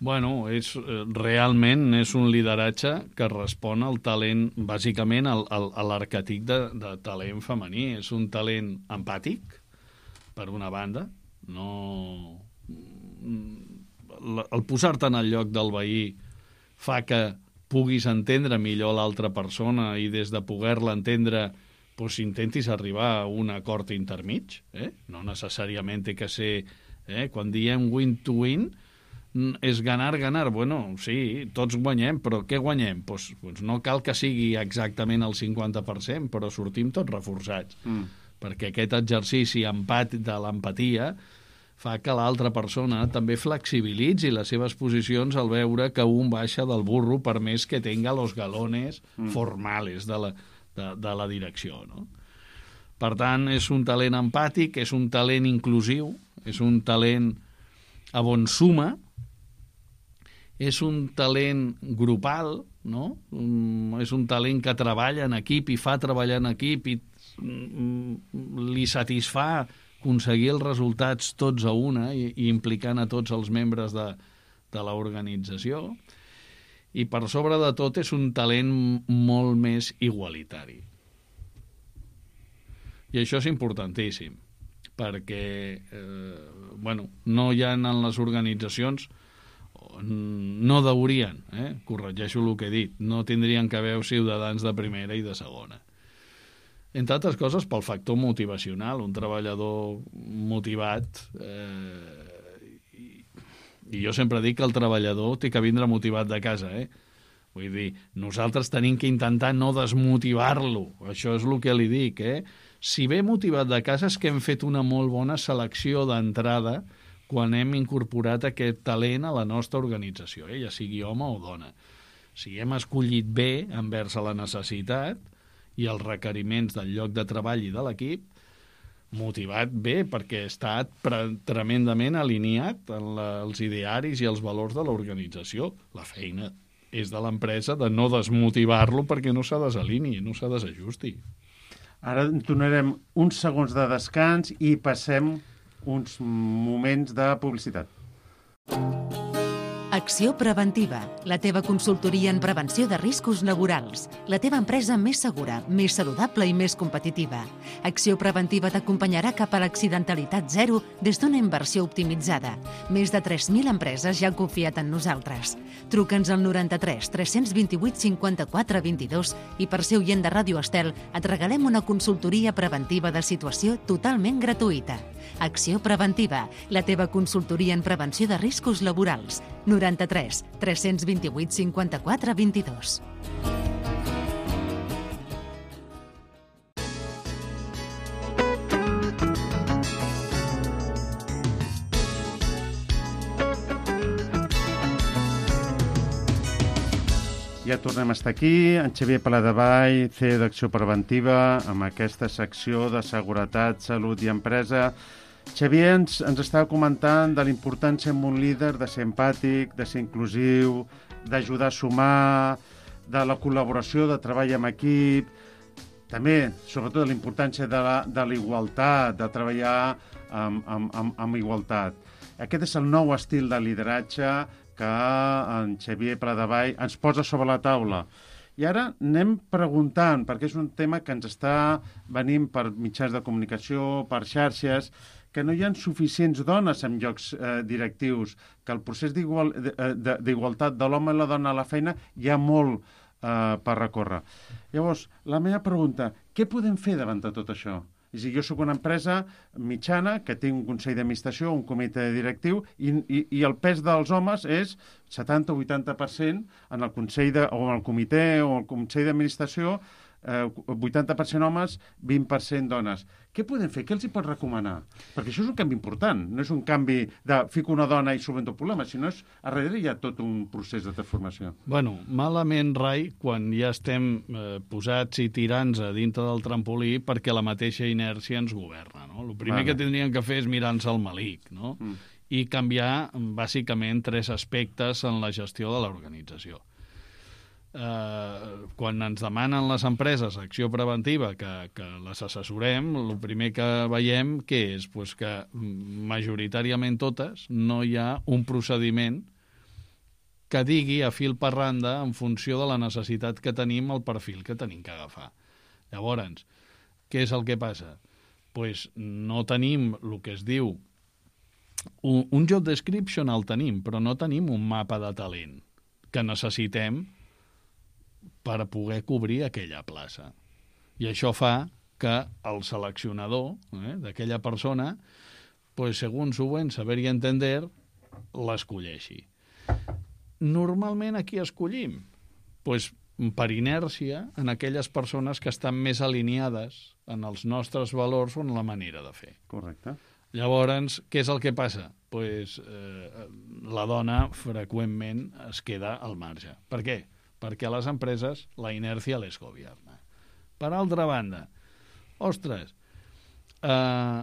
Bueno, és, realment és un lideratge que respon al talent, bàsicament al, al, a l'arquetip de, de talent femení. És un talent empàtic, per una banda, no... el posar-te en el lloc del veí fa que puguis entendre millor l'altra persona i des de poder-la entendre doncs intentis arribar a un acord intermig, eh? No necessàriament té que ser, eh? Quan diem win to win, és ganar, ganar. Bueno, sí, tots guanyem, però què guanyem? Pues, pues no cal que sigui exactament el cinquanta per cent, però sortim tots reforçats, mm. perquè aquest exercici empat de l'empatia fa que l'altra persona també flexibilitzi les seves posicions al veure que un baixa del burro per més que tenga los galones mm. formales de la, de, de la direcció, no? Per tant, és un talent empàtic, és un talent inclusiu, és un talent a bon suma, és un talent grupal, no? Um, és un talent que treballa en equip i fa treballar en equip i um, li satisfà aconseguir els resultats tots a una i, i implicant a tots els membres de, de l'organització. I per sobre de tot és un talent molt més igualitari. I això és importantíssim, perquè eh, bueno, no hi ha en les organitzacions, no deurien, eh, corregeixo el que he dit, no tindrien que haver ciutadans de primera i de segona. Entre altres coses pel factor motivacional, un treballador motivat, eh, i, i jo sempre dic que el treballador té que vindre motivat de casa, eh? Vull dir, nosaltres tenim que intentar no desmotivar-lo, això és el que li dic, eh? Si ve motivat de casa és que hem fet una molt bona selecció d'entrada quan hem incorporat aquest talent a la nostra organització, eh? Ja sigui home o dona. Si hem escollit bé envers a la necessitat i els requeriments del lloc de treball i de l'equip, motivat bé perquè ha estat tremendament alineat en la, els idearis i els valors de l'organització. La feina és de l'empresa de no desmotivar-lo perquè no s'ha desalinei, no s'ha desajusti. Ara donarem uns segons de descans i passem uns moments de publicitat. Acció Preventiva, la teva consultoria en prevenció de riscos laborals. La teva empresa més segura, més saludable i més competitiva. Acció Preventiva t'acompanyarà cap a l'accidentalitat zero des d'una inversió optimitzada. Més de tres mil empreses ja han confiat en nosaltres. Truca'ns al noranta-tres tres cents vint-i-vuit cinquanta-quatre vint-i-dos i per ser oient de Ràdio Estel et regalem una consultoria preventiva de situació totalment gratuïta. Acció Preventiva, la teva consultoria en prevenció de riscos laborals. noranta-tres tres cents vint-i-vuit cinquanta-quatre vint-i-dos. Ja tornem a estar aquí, en Xavier Paladevall, C E O d'Acció Preventiva, amb aquesta secció de seguretat, salut i empresa. Xavier ens, ens estava comentant de l'importància en un líder de ser empàtic, de ser inclusiu, d'ajudar a sumar, de la col·laboració, de treball en equip, també, sobretot, de la importància de la, de la igualtat, de treballar amb, amb, amb, amb igualtat. Aquest és el nou estil de lideratge que en Xavier Paladevall ens posa sobre la taula. I ara anem preguntant, perquè és un tema que ens està venint per mitjans de comunicació, per xarxes, que no hi ha suficients dones en llocs eh, directius, que el procés d'igualtat de l'home i la dona a la feina hi ha molt eh, per recórrer. Llavors, la meva pregunta, què podem fer davant de tot això? És a dir, jo soc una empresa mitjana que té un consell d'administració, un comitè directiu, i, i, i el pes dels homes és setanta o vuitanta per cent en el consell de, o en el comitè o el consell d'administració, eh, vuitanta per cent homes, vint per cent dones. Què podem fer? Què els hi pot recomanar? Perquè això és un canvi important. No és un canvi de fico una dona i solvento el problema, sinó és a darrere hi ha tot un procés de transformació. Bueno, malament, Rai, quan ja estem eh, posats i tirants a dintre del trampolí perquè la mateixa inèrcia ens governa, no? El primer vale. que tindrien que fer és mirar-nos al malic, no? Mm. I canviar, bàsicament, tres aspectes en la gestió de l'organització. Uh, quan ens demanen les empreses acció preventiva que, que les assessorem, el primer que veiem que és pues, que majoritàriament totes no hi ha un procediment que digui a fil per randa en funció de la necessitat que tenim, el perfil que tenim que agafar. Llavors, què és el que passa? Pues no tenim el que es diu un, un job description el tenim, però no tenim un mapa de talent que necessitem per a poder cobrir aquella plaça. I això fa que el seleccionador eh, d'aquella persona, pues, segons ho en saber i entender, l'escolleixi. Normalment a qui escollim? Pues, per inèrcia, en aquelles persones que estan més alineades en els nostres valors o en la manera de fer. Correcte. Llavors, què és el que passa? Pues, eh, la dona freqüentment es queda al marge. Per què? Perquè a les empreses la inèrcia les governa. Per altra banda, ostres, eh,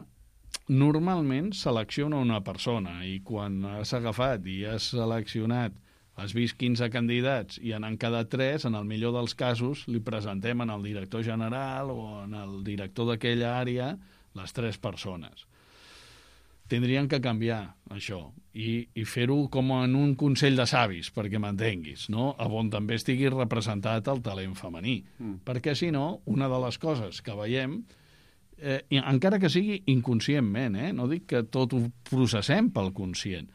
normalment selecciona una persona i quan has agafat i has seleccionat, has vist quinze candidats i en han quedat tres, en el millor dels casos li presentem en el director general o en el director d'aquella àrea les tres persones. Tindrien que canviar això i, i fer-ho com en un consell de savis, perquè m'entenguis, no? On també estigui representat el talent femení. Mm. Perquè, si no, una de les coses que veiem, eh, encara que sigui inconscientment, eh? No dic que tot ho processem pel conscient,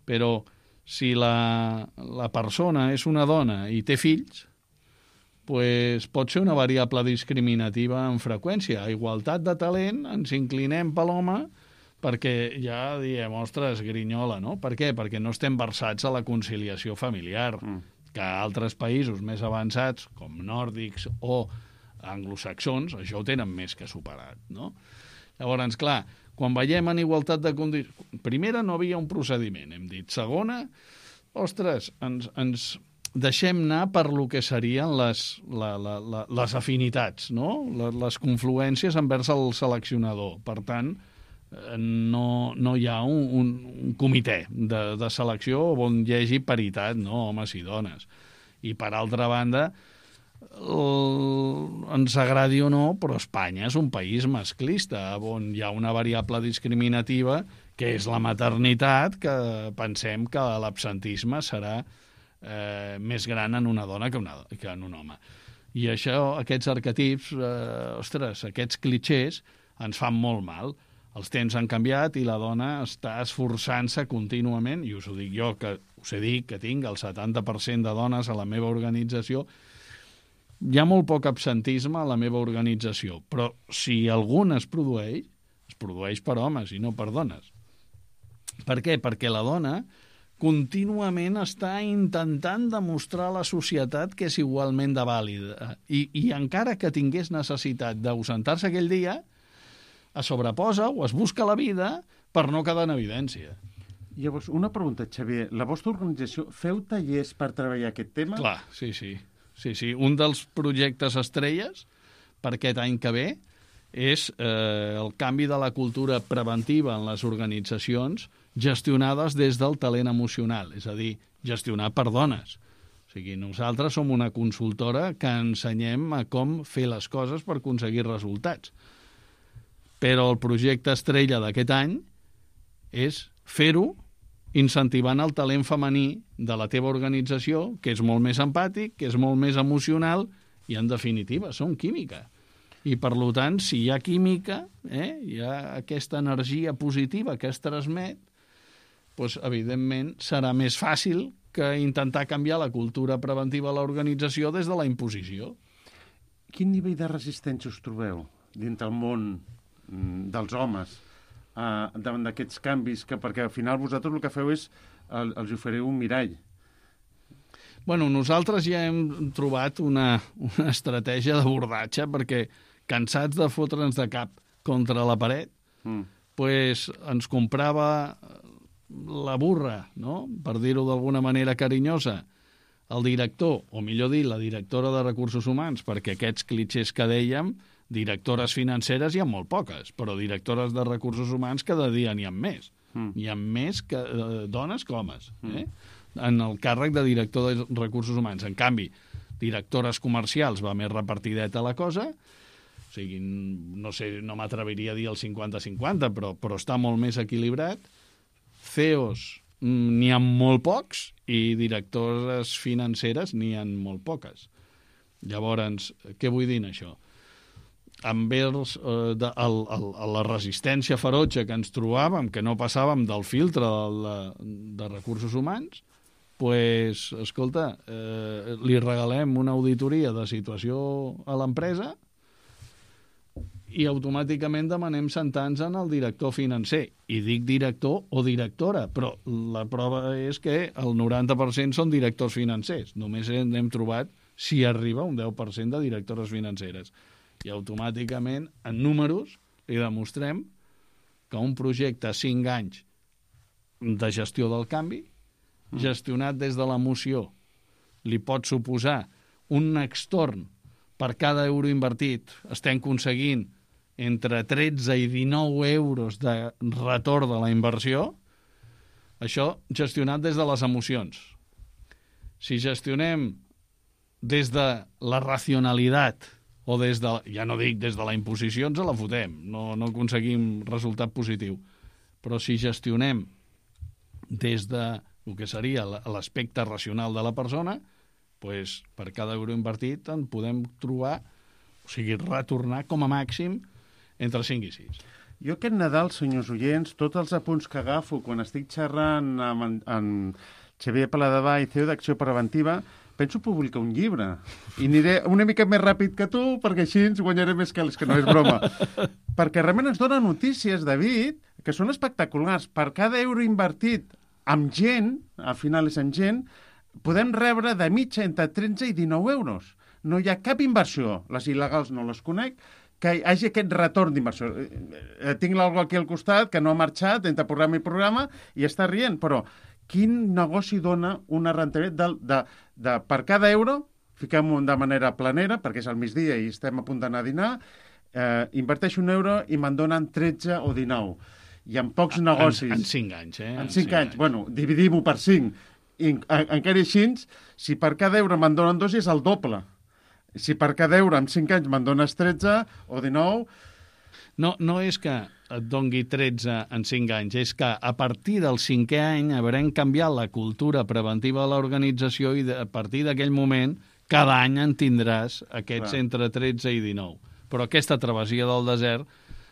però si la, la persona és una dona i té fills, pues pot ser una variable discriminativa en freqüència. A igualtat de talent ens inclinem per l'home perquè ja diem, ostres, grinyola, no? Per què? Perquè no estem versats a la conciliació familiar, mm. que altres països més avançats, com nòrdics o anglosaxons, això ho tenen més que superat, no? Llavors, clar, quan veiem en igualtat de condicions... Primera, no havia un procediment, hem dit. Segona, ostres, ens, ens deixem anar per lo que serien les, la, la, la, les afinitats, no? Les, les confluències envers el seleccionador. Per tant, no, no hi ha un, un, un comitè de, de selecció on hi hagi paritat, no, homes i dones. I per altra banda, el, ens agradi o no, però Espanya és un país masclista, on hi ha una variable discriminativa que és la maternitat, que pensem que l'absentisme serà eh, més gran en una dona que, una, que en un home. I això, aquests arquetips, eh, ostres, aquests clitxers ens fan molt mal. Els temps han canviat i la dona està esforçant-se contínuament, i us ho dic jo, que us he dit que tinc el setanta per cent de dones a la meva organització. Hi ha molt poc absentisme a la meva organització, però si algun es produeix, es produeix per homes i no per dones. Per què? Perquè la dona contínuament està intentant demostrar a la societat que és igualment de vàlida. I, i encara que tingués necessitat d'ausentar-se aquell dia, es sobreposa o es busca la vida per no quedar en evidència. Llavors, una pregunta, Xavier. La vostra organització feu tallers per treballar aquest tema? Clar, sí, sí. sí, sí. Un dels projectes estrelles per aquest any que ve és eh, el canvi de la cultura preventiva en les organitzacions gestionades des del talent emocional, és a dir, gestionat per dones. O sigui, nosaltres som una consultora que ensenyem a com fer les coses per aconseguir resultats. Però el projecte estrella d'aquest any és fer-ho incentivant el talent femení de la teva organització, que és molt més empàtic, que és molt més emocional i, en definitiva, són química. I, per tant, si hi ha química, eh, hi ha aquesta energia positiva que es transmet, doncs, evidentment, serà més fàcil que intentar canviar la cultura preventiva a l'organització des de la imposició. Quin nivell de resistència us trobeu dintre el món dels homes eh, davant d'aquests canvis? Que, perquè al final vosaltres el que feu és el, els ofereu un mirall. Bueno, nosaltres ja hem trobat una, una estratègia d'abordatge perquè, cansats de fotre'ns de cap contra la paret, mm. pues ens comprava la burra, no? Per dir-ho d'alguna manera carinyosa, el director, o millor dir, la directora de Recursos Humans, perquè aquests clitxers que dèiem, directores financeres hi ha molt poques, però directores de Recursos Humans cada dia n'hi ha més. Mm. Hi ha més que, eh, dones que homes, eh? Mm. En el càrrec de director de Recursos Humans. En canvi, directores comercials va més repartideta la cosa. O sigui, no sé, no m'atreviria a dir el cinquanta cinquanta, però, però està molt més equilibrat. C E Os n'hi ha molt pocs i directores financeres n'hi ha molt poques. Llavors, què vull dir en això? Envers eh, de, el, el, la resistència ferotge que ens trobàvem, que no passàvem del filtre de, de Recursos Humans, pues, escolta, eh, li regalem una auditoria de situació a l'empresa i automàticament demanem sentar-nos en el director financer. I dic director o directora, però la prova és que el noranta per cent són directors financers. Només hem trobat, si arriba, un deu per cent de directores financeres. I automàticament, en números, li demostrem que un projecte a cinc anys de gestió del canvi, gestionat des de l'emoció, li pot suposar un extorn per cada euro invertit. Estem aconseguint entre tretze i dinou euros de retorn de la inversió, això gestionat des de les emocions. Si gestionem des de la racionalitat o des de, ja no dic des de la imposició, ens la fotem, no, no aconseguim resultat positiu. Però si gestionem des de el que seria l'aspecte racional de la persona, pues, per cada euro invertit en podem trobar, o sigui, retornar com a màxim entre cinc i sis. Jo aquest Nadal, senyors oients, tots els apunts que agafo quan estic xerrant amb en, en Xavier Paladevall, C E O d'Acció Preventiva, penso publicar un llibre. I aniré una mica més ràpid que tu, perquè així ens guanyaré més calés, que no és broma. Perquè realment ens dona notícies, David, que són espectaculars. Per cada euro invertit amb gent, al final és amb gent, podem rebre de mitja entre tretze i dinou euros. No hi ha cap inversió, les il·legals no les conec, que hi hagi aquest retorn d'inversió. Eh, tinc l'algú aquí al costat que no ha marxat entre programa i programa i està rient, però quin negoci dona una rendibilitat de, de, de per cada euro, fiquem-ho de manera planera, perquè és al migdia i estem a punt d'anar a dinar, eh, inverteixo un euro i me'n donen tretze o dinou. Hi ha pocs negocis. En, en cinc anys, eh? En cinc anys. anys. Bueno, dividim-ho per cinc. I, en, encara així, si per cada euro me'n donen dos, és el doble. Si per cada euro en cinc anys me'n dones tretze o dinou, No, no és que et dongui tretze en cinc anys, és que a partir del cinquè any haurem canviat la cultura preventiva de l'organització i a partir d'aquell moment cada any en tindràs aquests Clar. entre tretze i dinou. Però aquesta travessia del desert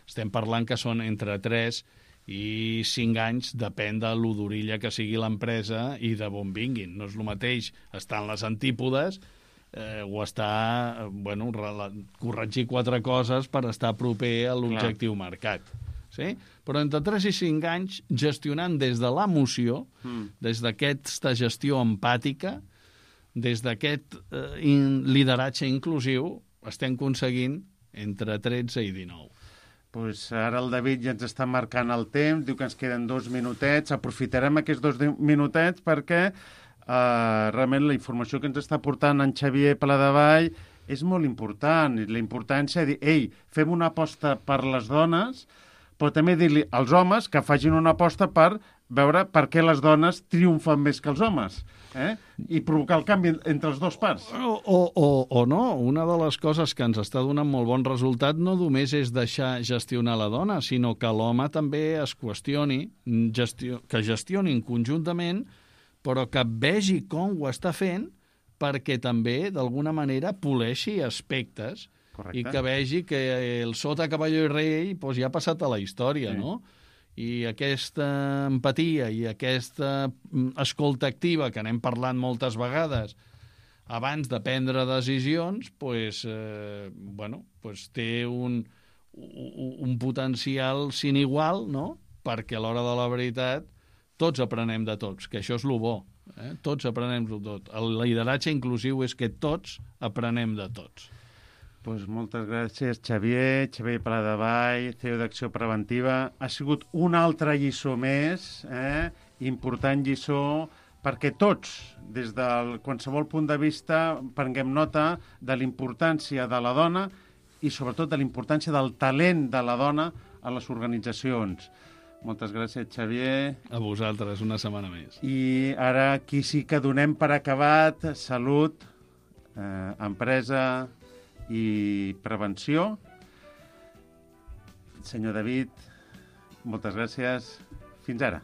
estem parlant que són entre tres i cinc anys, depèn de l'odorilla que sigui l'empresa i de on vinguin. No és el mateix estar en les antípodes eh, o estar, bueno, corregir quatre coses per estar proper a l'objectiu marcat. Sí? Però entre tres i cinc anys, gestionant des de l'emoció, mm. des d'aquesta gestió empàtica, des d'aquest eh, in, lideratge inclusiu, estem aconseguint entre tretze i dinou. Pues ara el David ja ens està marcant el temps, diu que ens queden dos minutets. Aprofitarem aquests dos minutets perquè uh, realment la informació que ens està portant en Xavier Paladevall és molt important. I la importància de dir, ei, fem una aposta per les dones, però també dir-li als homes que facin una aposta per veure per què les dones triomfen més que els homes. Eh? I provocar el canvi entre els dos parts. O, o, o, o no, una de les coses que ens està donant molt bon resultat no només és deixar gestionar la dona, sinó que l'home també es qüestioni, gestio, que gestionin conjuntament, però que vegi com ho està fent perquè també, d'alguna manera, poleixi aspectes. Correcte. I que vegi que el sota cavalló i rei doncs, ja ha passat a la història, sí. no? I aquesta empatia i aquesta escolta activa que n'hem parlat moltes vegades abans de prendre decisions, pues, eh, bueno, pues té un, un potencial sin igual, no? Perquè a l'hora de la veritat tots aprenem de tots, que això és lo bo. Eh? Tots aprenem de tot. El lideratge inclusiu és que tots aprenem de tots. Pues moltes gràcies, Xavier, Xavier Paladevall, C E O d'Acció Preventiva. Ha sigut una altra lliçó més, eh? important lliçó, perquè tots, des de qualsevol punt de vista, prenguem nota de la importància de la dona i sobretot de la importància del talent de la dona a les organitzacions. Moltes gràcies, Xavier. A vosaltres, una setmana més. I ara aquí sí que donem per acabat salut, eh, empresa i prevenció. Senyor David, moltes gràcies. Fins ara.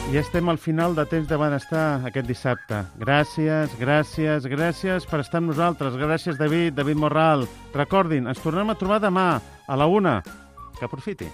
I estem al final de Temps de Benestar aquest dissabte. Gràcies, gràcies, gràcies per estar amb nosaltres. Gràcies, David, David Morral. Recordin, ens tornem a trobar demà a la una. Que aprofiti.